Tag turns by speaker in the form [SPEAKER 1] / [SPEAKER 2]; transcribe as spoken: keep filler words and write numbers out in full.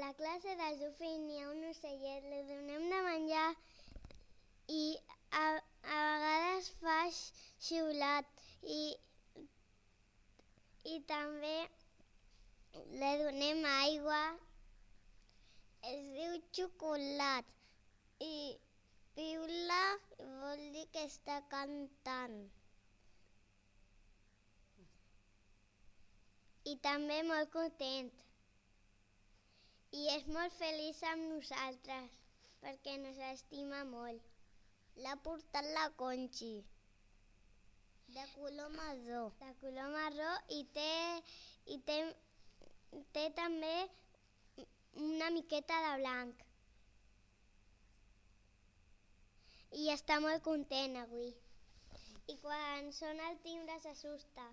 [SPEAKER 1] la classe del Zufí n'hi ha un ocellet, li donem de menjar i a, a vegades fa xiulat i, i també li donem aigua. Es diu Xocolat i piula vol dir que està cantant. I també molt content. I és molt feliç amb nosaltres, perquè ens estima molt. L'ha portat la Conxi, de color marró. De color marró i té, i té, té també una miqueta de blanc. I està molt content avui. I quan sona el timbre s'assusta.